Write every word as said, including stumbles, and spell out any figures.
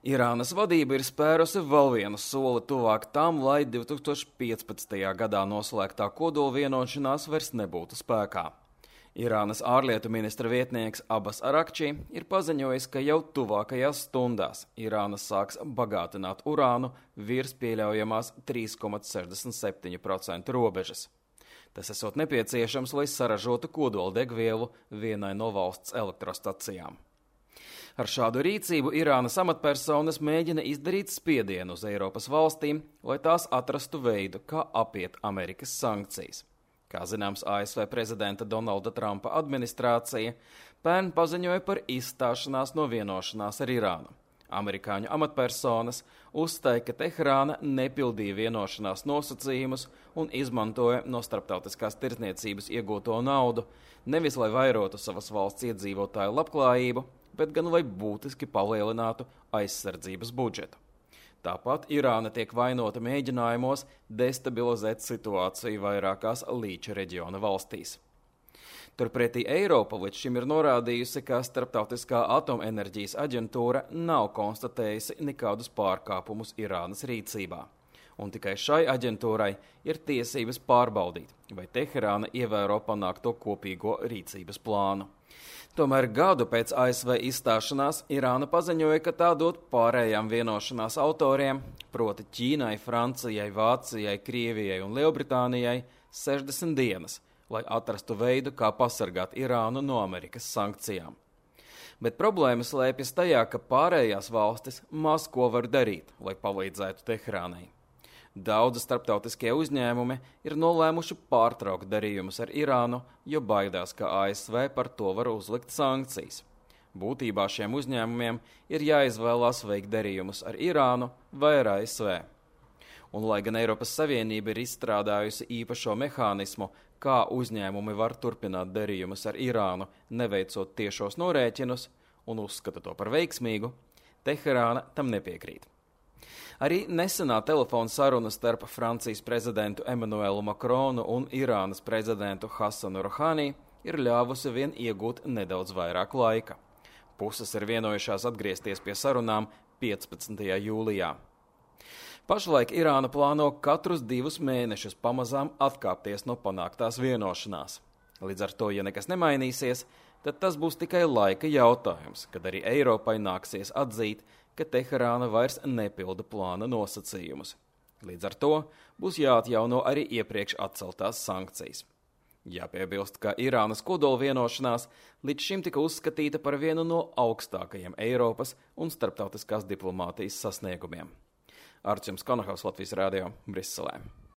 Irānas vadība ir spērusi vēl vienu soli tuvāk tam, lai divi tūkstoši piecpadsmitajā gadā noslēgtā kodola vienošanās vairs nebūtu spēkā. Irānas ārlietu ministra vietnieks Abbas Arakči ir paziņojis, ka jau tuvākajās stundās Irāna sāks bagātināt urānu virs pieļaujamās trīs komats sešdesmit septiņi procenti robežas. Tas esot nepieciešams, lai saražotu kodola degvielu vienai no valsts elektrostacijām. Ar šādu rīcību Irānas amatpersonas mēģina izdarīt spiedienu uz Eiropas valstīm, lai tās atrastu veidu, kā apiet Amerikas sankcijas. Kā zināms, A S V prezidenta Donalda Trumpa administrācija pērn paziņoja par izstāšanās no vienošanās ar Irānu. Amerikāņu amatpersonas uzstāja, ka Teherāna nepildīja vienošanās nosacījumus un izmantoja no starptautiskās tirdzniecības iegūto naudu, nevis lai vairotu savas valsts iedzīvotāju labklājību, bet gan lai būtiski palielinātu aizsardzības budžetu. Tāpat Irāna tiek vainota mēģinājumos destabilizēt situāciju vairākās Līča reģiona valstīs. Turpretī Eiropa līdz šim ir norādījusi, ka Starptautiskā atomenerģijas aģentūra nav konstatējusi nekādus pārkāpumus Irānas rīcībā. Un tikai šai aģentūrai ir tiesības pārbaudīt, vai Teherāna ievēro panākto kopīgo rīcības plānu. Tomēr gadu pēc A S V izstāšanās Irāna paziņoja, ka tā dod pārējām vienošanās autoriem, proti Ķīnai, Francijai, Vācijai, Krievijai un Lielbritānijai, sešdesmit dienas, lai atrastu veidu, kā pasargāt Irānu no Amerikas sankcijām. Bet problēma slēpjas tajā, ka pārējās valstis maz ko var darīt, lai palīdzētu Teherānai. Daudzi starptautiskie uzņēmumi ir nolēmuši pārtraukt darījumus ar Irānu, jo baidās, ka A S V par to var uzlikt sankcijas. Būtībā šiem uzņēmumiem ir jāizvēlās veikt darījumus ar Irānu vai ar A S V. Un lai gan Eiropas Savienība ir izstrādājusi īpašo mehānismu, kā uzņēmumi var turpināt darījumus ar Irānu, neveicot tiešos norēķinus, un uzskata to par veiksmīgu, Teherāna tam nepiekrīt. Arī nesenā telefona saruna starp Francijas prezidentu Emmanuelu Macronu un Irānas prezidentu Hasanu Rohani ir ļāvusi vien iegūt nedaudz vairāk laika. Puses ir vienojušās atgriezties pie sarunām piecpadsmitajā jūlijā. Pašlaik Irāna plāno katrus divus mēnešus pamazām atkāpties no panāktās vienošanās. Līdz ar to, ja nekas nemainīsies, tad tas būs tikai laika jautājums, kad arī Eiropai nāksies atzīt, ka Teherāna vairs nepilda plāna nosacījumus. Līdz ar to būs jāatjauno arī iepriekš atceltās sankcijas. Jāpiebilst, ka Irānas kodola vienošanās līdz šim tika uzskatīta par vienu no augstākajiem Eiropas un starptautiskās diplomātijas sasniegumiem. Arčuns Konahaus, Latvijas radio, Briselē.